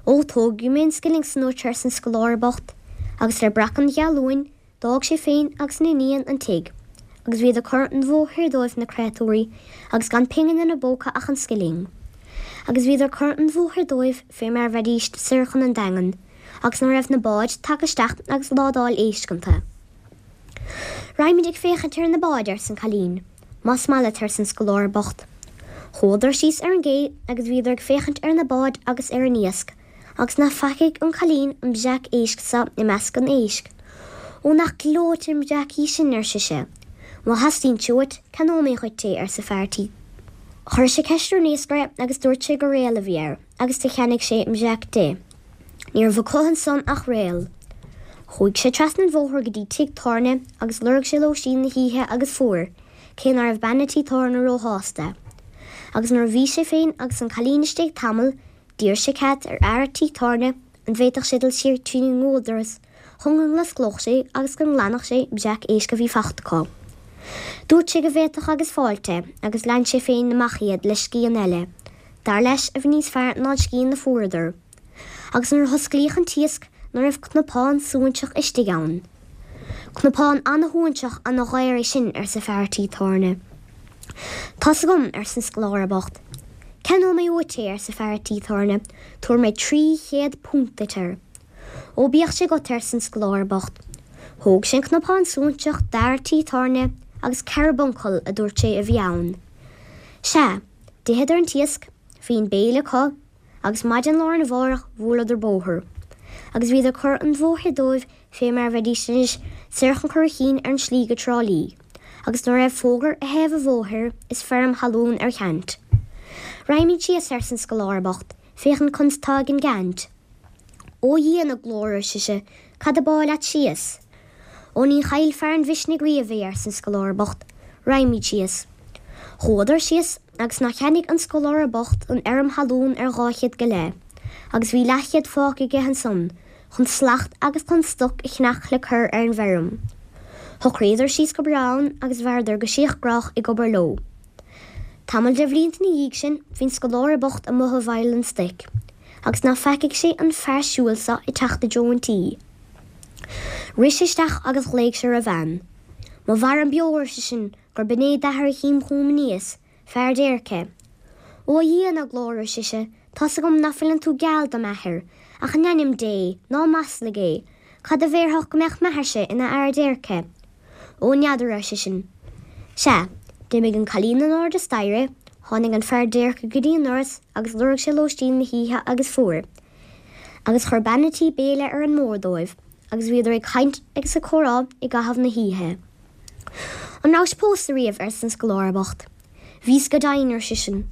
Ó, tógfaidh mé an scilling san uait, arsa an scoláire bocht, agus le breacadh an ghealúin, d'fhág sé féin agus an iníon an tigh, agus bhíodar curtha an bhóthair dóibh, na créatúirí, agus gan pingin ina bpóca ach an scilling. Agus bhíodar curtha an bhóthair dóibh fé mar a bheidíst soir chun an Daingin, agus ná raibh na báid tagtha isteach agus ládáil éisc iontu. Raghaimid ag féachaint ar na báid, arsa an cailín. Más maith leat, arsa an scoláire bocht. Chuadar síos ar an gcé agus bhíodar ag féachaint ar na báid agus ar an iasc, agus ná feacaigh an cailín an breac éisc so i measc an éisc. Ó, nach gleoite an breac í sin, ar sise. Má theastaíonn sé uait, ceannóidh mé dhuit é, arsa fear a' tí. Chuir sé ceist ar an iascaire agus dúirt sé gur réal a bhí air, agus do cheannaigh sé an breac di. Ní raibh acu ansan ach réal. Chuaigh sé trasna an bhóthair go dtí tigh tábhairne agus lorg sé lóistín na hoíche agus fuair, cé ná raibh bean a' tí tábhairne róshásta. Agus nuair a bhí sé féin agus an cailín istigh tamall, d'iarr sé cead ar fhear a' tí tábhairne an bhféadfadh sé dul siar trína ngualdoras chun go n-osclódh sé agus go nglanfadh sé breac éisc a bhí fachta acu. Dúirt sé go bhféadfadh agus fáilte agus lean sé féin amach iad le scian eile, dar leis, a bhí níos fearr ná an scian a fuaireadar. Agus nuair a hosclaíodh an t-iasc ná raibh cnapán suainseach istigh ann. Cnapán ana-shuainseach ana-dhaor é sin, arsa fear a' tí tábhairne. Tá's agam, arsa an scoláire bocht. Ceannóidh mé uait é, arsa fear a' tí tábhairne, tabharfaidh mé £300 duit air. Ó bíodh sé agat, arsa an scoláire bocht. Thóg sé an cnapán suainseach d'fhear a' tí tábhairne agus carbuncail, a dúirt sé, a bhí ann. Sea, d'itheadar an t-iasc, bhí an béile acu, agus maidin lá arna mhárach bhuaileadar bóthar. Agus bhíodar ag cur an bhóthair dóibh fé mar a bheidís anois soir chun Curraichín ar an slí go Trá Lí, agus ná raibh fógra ar thaobh an bhóthair is feirm thalún ar cheant. Raghaimid síos, arsa an scoláire bocht, féachaint conas tá ag an gceant. Ó a Dhia na glóire, ar sise, cad ab áil leat síos? Ó ní chaill fear an mhisnigh riamh é, arsa an scoláire bocht, raghaimid síos. Chuadar síos agus nár cheannaigh an scoláire bocht an fheirm thalún ar 200 go leith, agus bhí leathchéad fágtha aige ansan chun slacht agus chun stoc a cheannach le cur ar an bhfeirm. Shocraíodar síos go breá ann agus mhaireadar go síothghrách ag obair leo. Tamall de bhlianta ina dhiaidh sin bhí an scoláire bocht amuigh i bhfeighil an stoic. Agus ná feicfeadh sé an fear siúil so ag teacht i dtreo an tí. Rith sé isteach agus ghlaoigh sé ar a bhean. Má mhairim beo, ar seisean, gurb in é d'athair a chím chugam aníos, fear déirce. Ó a Dhia na glóire, ar sise, tá's agam ná fuileann tú geal do m'athair, ach in ainm Dé, ná maslaigh é, cad a bhéarfadh go mbeadh m'athairse ina fhear déirce? Ó n'fheadar, ar seisean. Sea, d'imigh an cailín in airde staighre, tháinig an fear déirce go dtí an doras agus lorg sé lóistín na hoíche agus fuair. Agus chuir bean a' tí béile ar an mbord dóibh agus bhíodar ag caint agus ag comhrá i gcaitheamh na hoíche. An rabhais pósta riamh? arsa an scoláire bocht. Bhíos go deimhin, ar seisean.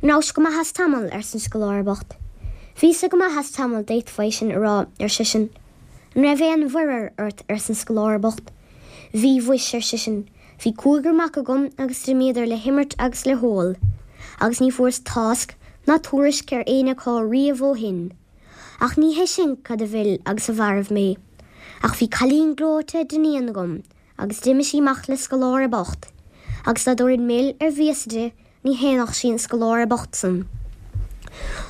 An rabhais go maith as tamall? arsa an scoláire bocht. Bhíos-sa go maith as tamall, d'fhéadfá é sin a rá, ar seisean. An raibh aon mhuirear ort? arsa an scoláire bocht. Bhí, mhuis, ar seisean. Bhí cúigear mac agam agus d'imíodar le himirt agus le hól, agus ní fuaireas tásc ná tuairisc ar éinne acu riamh ó shin. Ach ní hé sin cad a mhill agus a mhairbh mé, ach bhí cailín gleoite d'iníon agam agus d'imigh sí amach le scoláire bocht, agus dá dtabharfainn mil ar mhias di ní shéanfadh sí an scoláire bocht san.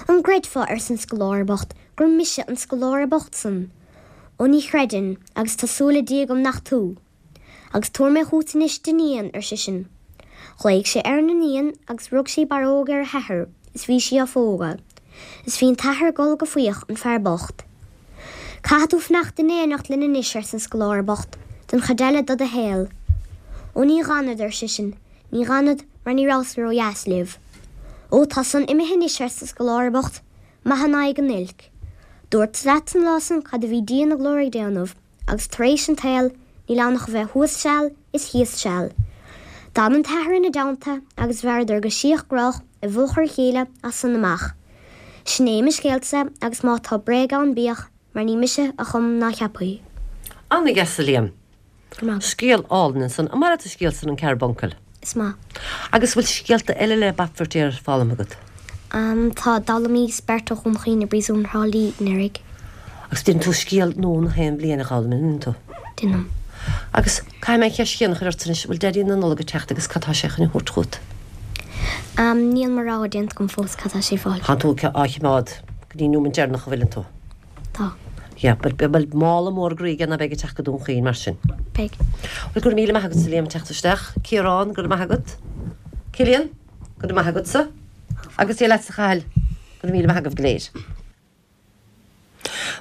An gcreidfeá, arsa an scoláire bocht, gur mise an scoláire bocht san? Ó ní chreidfinn, agus tá súil le Dia agam nach tú. Agus tabharfaidh mé chugat anois d'iníon, ar seisean. Ghlaoigh sé ar an iníon agus rug sí barróg ar a hathair is bhí sí á phógadh. Is bhí an t-athair ag gol go faíoch, an fear bocht. Caithfidh tú fanacht in éineacht linn anois, arsa an scoláire bocht, don chuid eile de do shaol. Ó ní dh'fhanfad, ar seisean, ní dh'fhanfad mar ní rabhas ró-dheas libh. Ó tá san imithe anois, arsa an scoláire bocht, maith in aghaidh an oilc. Dúrtsa leat an lá san cad a bhí Dia na glóire ag déanamh. Agus tar éis an tsaoil níl ann ach a bheith thuas seal is thíos seal. D'fhan an t-athair ina dteannta agus mhaireadar go síothghrách i bhfochair a chéile as san amach. Sin é mo scéalsa agus má tá bréag ann bíodh mar ní mise a chum ná cheap é. Ana-dheas a Liam. Scéal álainn ansan. An maith leat an scéal san an Carbuncle? Is maith. Agus bhfuil scéalta eile le Bab Feirtéar foghlamtha agat? Tá, d'fhoghlaimíos Beirt ó Dhún Chaoin i bPríosún Thrá Lí anuraidh. Agus déanann tú scéal nua na haon bhliain a dh'fhoghlaim, an ndéanann tú? Déanaim. Agus caithfidh mé an cheist chéanna a chur ort anois, bhfuil Daidí na Nollag ag teacht agus cad tá sé chun a thabhairt chugat? Níl mo rogha déanta agam fós cad tá sé ag fáil. Tánn tú á choimeád go dtí an nóiméad deireanach an bhfuileann tú? Tá. Yeah, but bhfuil mála mór groí aige ná beidh ag teacht go Dún Chaoin mar sin? Beidh. Bhuel, go raibh míle maith agat a Liam teacht isteach. Ciarán, go raibh maith agat. Cillian, go raibh maith agatsa. Agus Dia leatsa a Chathail, go raibh míle maith agaibh go léir.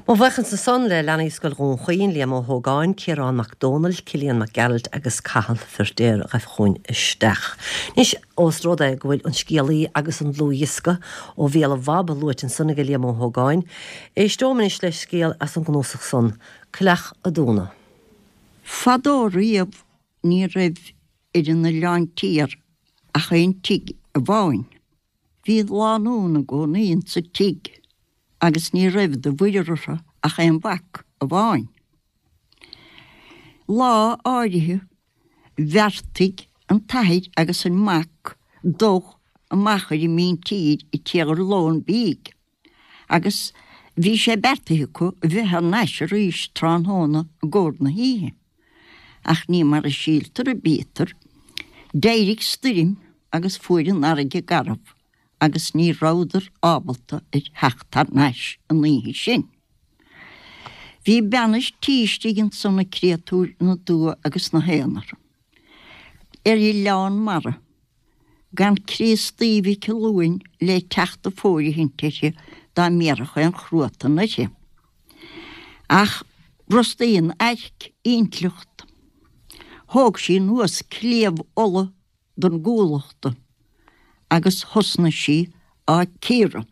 Mo bhuíochas ansan le leanaí Scoil Dhún Chaoin, Liam Ó hÓgáin, Ciarán Mac Dónaill, Cillian Mac Gearailt agus Cathal Feirtéar a ghaibh chugainn isteach. Anois, ós rud é go bhfuil an scéalaí agus an dlúthdhiosca ó bhéal an Bhab luaite ansan ag Liam Ó hÓgáin, éisteom anois le scéal as an gcnuasach san, Coileach a' Dúna. Fadó riamh ní raibh ar an Oileán Tiar ach aon tigh amháin. Bhí lánúin i gcónaí insa tigh agus ní raibh de mhuirear orthu ach aon mhac amháin. Lá áirithe bheartaigh an t-athair agus an mac dul amach ar an míntír ag iarraidh lón bídh agus bhí sé beartaithe acu a bheith thar n-ais arís tráthnóna i gcomhair na hoíche. Ach ní mar a síltear a bítear. D'éirigh stoirm agus fuair an fharraige garbh agus ní rabhadar ábalta ar theacht thar n-ais an oíche sin. Bhí bean an tí istigh ansan an créatúr ina dua agus 'na haonar. Ar oileán mara. Gan Críostaí Mhic Luain le teacht ag fóirithint uirthi dá mbéarfadh aon chruatan uirthi. Ach bhrostaigh an airc intleacht. Thóg sí anuas cliabh olla don gcuallacht agus thosnaigh sí á cíoradh.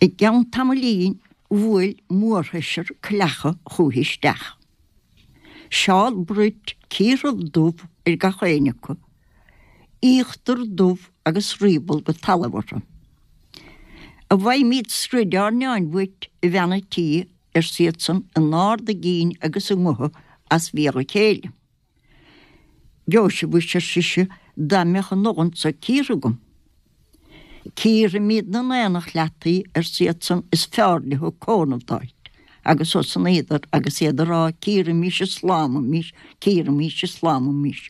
I gceann tamaillín bhuail mórsheisear coileacha chúithi isteach. Seál bruit cíortha dubh ar gach éinne acu, íochtar dubh agus riaball go talamh orthu. An bhfaighimíd scroid ár neáin uait, a bhean a' tí, arsa iadsan in ard a gcinn agus a ngutha as bhéal a chéile. Gheobhaidh sibh mhuis, ar sise, dá mbeadh an olann so cíortha agam. Cíorfaimíd 'na n-aonach leat í, arsa iadsan, is feárr leo cónamh d'fháilt. Agus thosnaíodar agus iad ag rá, Cíoraimís is lámaimís, cíoraimís is lámaimís.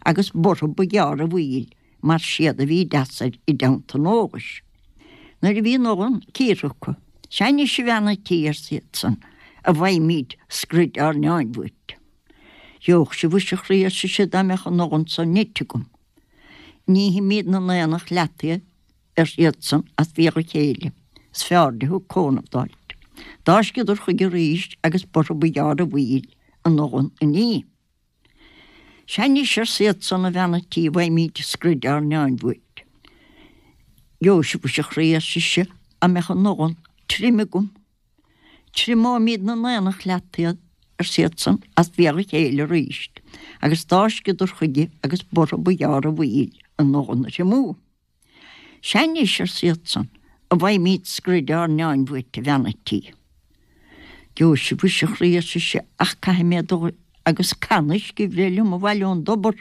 Agus b'orthu ba gheárr a mhoill, mar siad a bhí deasair i dteannta an eolais. Nuair a bhí an olann cíortha acu, Sea anois, a bhean a' tí, arsa iadsan, an bhfaighimíd scroid ár neáin uait. Gheobhadh sibh mhuis a chroí, ar sise, dá mbeadh an olann so nite agam. Nífimíd 'na n-aonach leat í, ar iadsan, as bhéal a chéile. Is feárr leo cónamh d'fháilt. D'fháisceadar chuige arís agus b'orthu ba gheárr a mhoill an olann a ní. Sea anois, arsa iadsan, a bhean a' tí, bhfaighimíd scroid ár neáin uait. Gheobhaidh sibh mhuis a chroí, ar sise, dá mbeadh an olann tirim agam. Triomóimíd 'na n-aonach leat iad, arsa iadsan, as bhéal a chéile arís, agus d'fháisceadar chuige agus b'orthu ba gheárr a mhoill an olann a thriomú. Sea anois, arsa iadsan, an bhfaighimíd scroid ár neáin uait, a bhean a' tí. Gheobhaidh sibh mhuis a chroí, ar sise, ach caithfidh mé dul agus canna uisce a bhreith liom abhaile ón dtobar.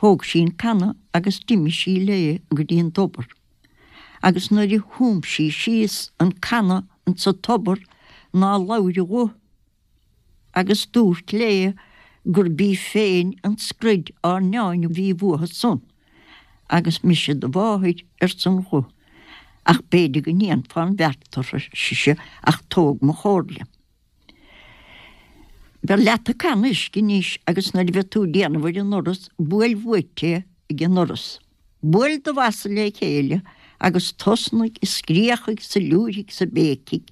Thóg sí an canna agus d'imigh sí léi go dtí an tobar. Agus nuair a thum sí síos an canna insa tobar ná labhair a ghuth agus dúirt léi gurb í féin an scroid ár neáin a bhí uathu san agus mise do mháthair arsa an ghuth ach b'fhéidir go ndéanfá an bheart orthu ar sise ach tóg mo chomhairle. Beir leat an canna uisce anois agus nuair a bheidh tú ag déanamh ar an ndoras, buail uait é ag an ndoras. Buail do bhosa le chéile agus tosnaigh ag scréachaigh 's ag liúirthigh 's ag béicigh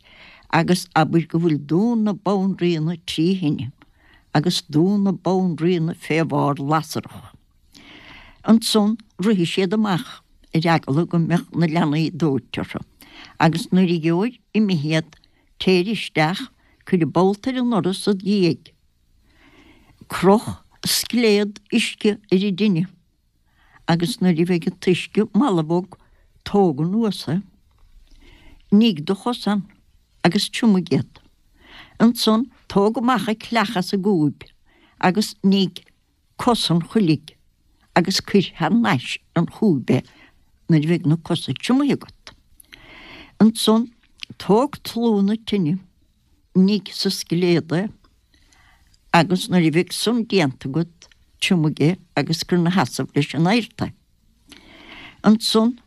agus abair go bhfuil Dún na Banríona trí thine agus Dún na Banríona fé bharr lasrach. Ansan rithfidh siad amach ar eagla go mbeadh na leanaí dóite orthu agus nuair a gheobhair imithe iad Téir isteach, cuir an bolt ar an ndoras id dhiaidh. Croch scléad uisce ar an dtine agus nuair a bheidh an t-uisce mall bog, tóg anuas é. Nigh do chosa ann agus triomaigh iad. Ansan tóg amach an cleach as an gcúib agus nigh cos an choiligh agus cuir thar n-ais an chúib é nuair a bheidh na cosa triomaithe agat. Ansan tóg tlú na tine, nigh sa scléad é agus nuair a bheidh san déanta agat triomaigh é agus cuir 'na sheasamh leis an adhart é. Ansan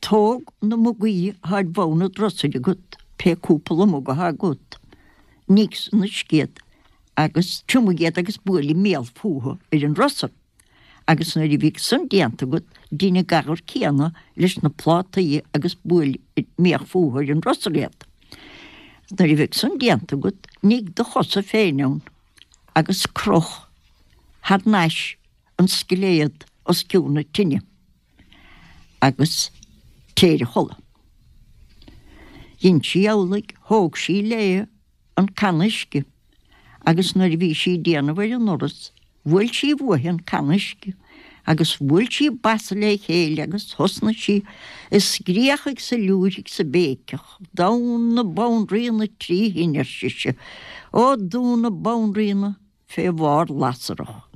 tóg na mugaí athá ar bhonn an drusair agat, pé cúpla mug athá agat, nigh san uisce iad agus triomaigh iad agus buail an mbéal fúthu ar an ndrusar. Agus nuair a bheidh san déanta agat, dein an gadhar céanna leis na plátaí agus buail an mbéal fúthu ar an ndrusar iad. Nuair a bheidh san déanta agat, nigh do chosa féin ann agus croch thar n-ais an scléad os cionn na tine agus téir a chodladh. Dhein sí amhlaidh, thóg sí léi an canna uisce agus nuair a bhí sí ag déanamh ar an ndoras, bhuail sí uaithi an canna uisce. Agus bhuail sí a basa le chéile agus thosnaigh sí ag scréachaigh 's ag liúirigh 's ag béiceach, Domhan na Banríona tri thine, ar sise, ó domhan na Banríona fé bharr lasrach.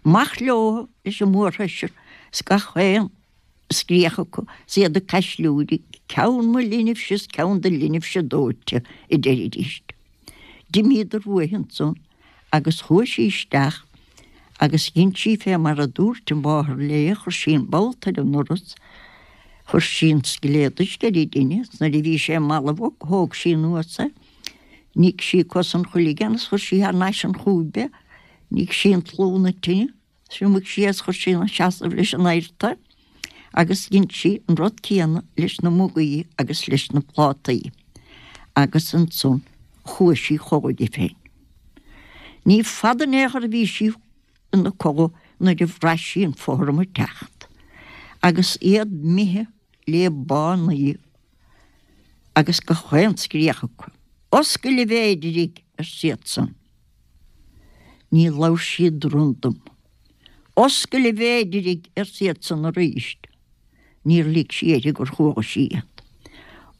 Amach leo leis an mórsheisear 's gach aon scréach acu 's iad ag caisliúirigh, ceann mo linbhse is ceann do linbhse dóite, a deiridíst. D'imíodar uaithi ansan agus chuaigh sí isteach agus dhein sí fé mar a dúirt an mháthair léi, chuir sí an bolt ar an ndoras, chuir sí an scilléad uisce ar an dtine, 's nuair a bhí sé balbh thóg sí anuas é, nigh sí cosa an choiligh ann is chuir sí thar n-ais an chúib é, nigh sí an tlú na tine. Thriomaigh sí é is chuir sí ina seasamh leis an adhart é agus dhein sí an rud céanna leis na mugaí agus leis na plátaí agus ansan chuaigh sí chodladh di féin. Ní fada in aon chor a bhí sí ina codladh nuair a bhraith sí an fothram ag teacht agus iad imithe le bánaí agus gach aon scréach acu. Oscail a mhéidirigh! arsa iadsan. Ní labhair sí randam. Oscail a mhéidirigh, arsa iadsan arís. Níor lig sí uirthi gur chuala sí iad.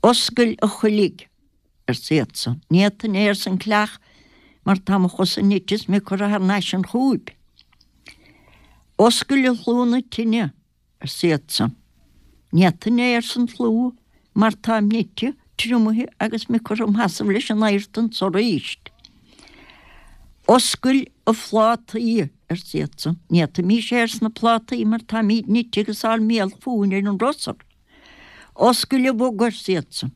Oscail a choiligh, arsa iadsan. Ní fhéadfainn é, arsa an coileach, mar tá mo chosa nite is mé curtha thar n-ais an chúib. Oscail a shlua na tine, arsa iadsan. Ní fhéadfainn é, arsa an slua, mar táim nite, triomaithe agus mé curtha im sheasamh leis an adhart anso arís. Oscail a phlátaí, arsa iadsan. Ní fhéadfaimis é, arsa na plátaí, mar táimíd nite agus ár mbéal fúinn ar an rusar. Oscail a mhuga, arsa iadsan.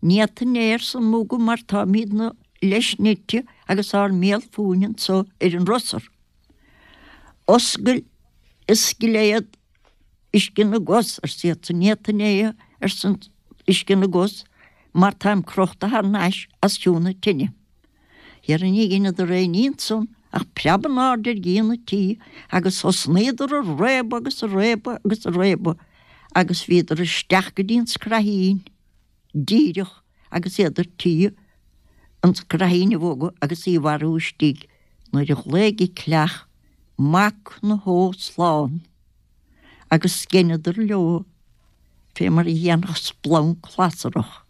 Ní fhéadfainn é, arsa an muga, mar táimídne leis nite agus ár mbéal fúinn anso ar an rusar. Oscail a scilléad uisce na gcos, arsa iadsan. Ní fhéadfainn é, arsa an uisce na gcos, mar táim crochta thar n-ais os cionn na tine. Dhera ní dheineadar aon ní ansan ach preab in airde ar dhíon an tí agus thosnaíodar a réabadh agus a réabadh agus a réabadh agus bhíodar isteach go dtí an scraithín. díreach agus iad ar tí an scraithín a bhogadh agus í a mharú istigh nuair a ghlaoigh an coileach 'Mac na hÓ slán! agus dheineadar leo fé mar a dhéanfadh splanc lasrach.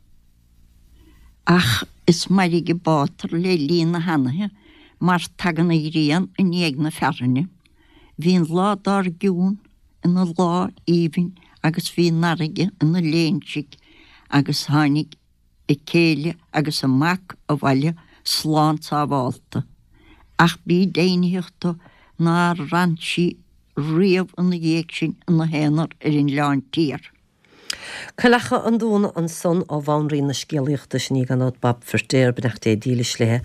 Ach is mairg an bátar le linn na hanaithe mar tagann an ghrian i ndiaidh na fearthainne. Bhí an lá dár gcionn ina lá aoibhinn agus bhí an fharraige ina léinsigh agus tháinig a céile agus a mac abhaile slán sábhálta. Ach bí deimhnitheach do nár fhan sí riamh ina dhiaidh sin ina haonar ar an Oileán Tiar. Coileacha an Dúna ansan ó bhanríon na scéalaíochta, sin í gan dabht Bab Feirtéar, beannacht Dé dílis léi,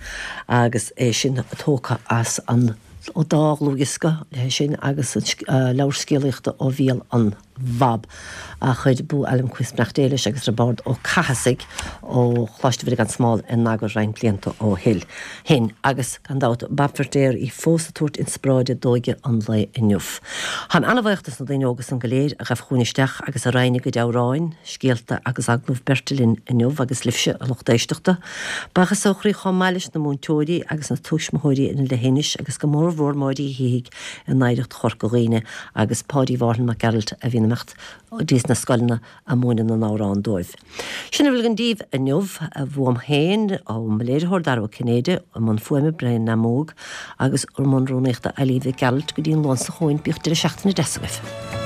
agus é sin tógtha as an dá dhlúthdhiosca léi sin agus an leabhar scéalaíochta Ó Bhéal an Bhab a chuir Boo Alan Quist, beannacht Dé leis, agus Roibeárd Ó Cathasaigh ó Choláiste Mhuire gan Smál in eagar roinnt blianta ó shin. Agus, gan dabht, Bab Feirtéar í fós ag tabhairt inspioráide d'óige an lae inniu. Táim an-bhaoch dos na daoine óga san go léir a ghabh chugainn isteach agus a roinn a gcuid amhráin, scéalta agus agallamh beirte linn inniu agus libhse, a lucht éisteachta. Buíochas ó chroí chomh maith leis na múinteoirí agus na tuismitheoirí in Leithinis agus go mórmhór Máire Uí Shíthigh in Oidhreacht Chorca Dhuibhne agus Páidí Mhárthain Mac Gearailt a bhíonn ag imeacht dtís na scoileanna a múineadh na n-amhrán dóibh. Sin a bhfuil againn daoibh inniu, uaim féin, ó mo léiritheoir Dara Ó Cinnéide, i mbun fuaime Brian Namóg agus i mbun rúnaíochta Eileen Mhic Gearailt go dtí an Luan seo chugainn, bíodh deireadh seachtaine deas agaibh.